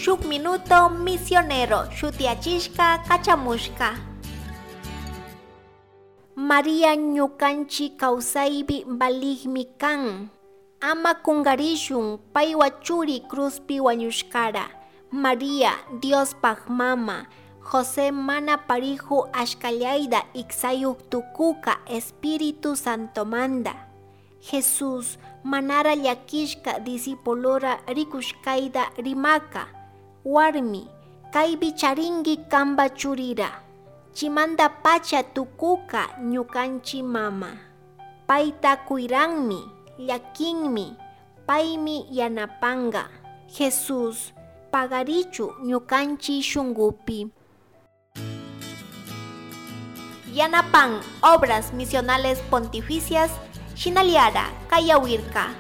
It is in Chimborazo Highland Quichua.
Shuk Minuto Misionero shutiyachishka kachamushka. Maria ñukanchik kawsaypi valigmi kan. Ama kungarishun paywa churi cruzpi wañushkara. Maria, Diospaj mama, José mana pariju ashkallayda iksayuk tukuka Espíritu Santomanda. Jesús manara llakishka discipulora rikushkayta rimaka. Warmi, kaypi charinki kanpa churira. Chimanda pacha tukuka ñukanchik mama. Payta kuyranmi, llakinmi, paymi yanapanga. Jesús, pagarichu ñukanchik shunkupi. Yanapan Obras Misionales Pontificias, Shinaliara, Kayawirka.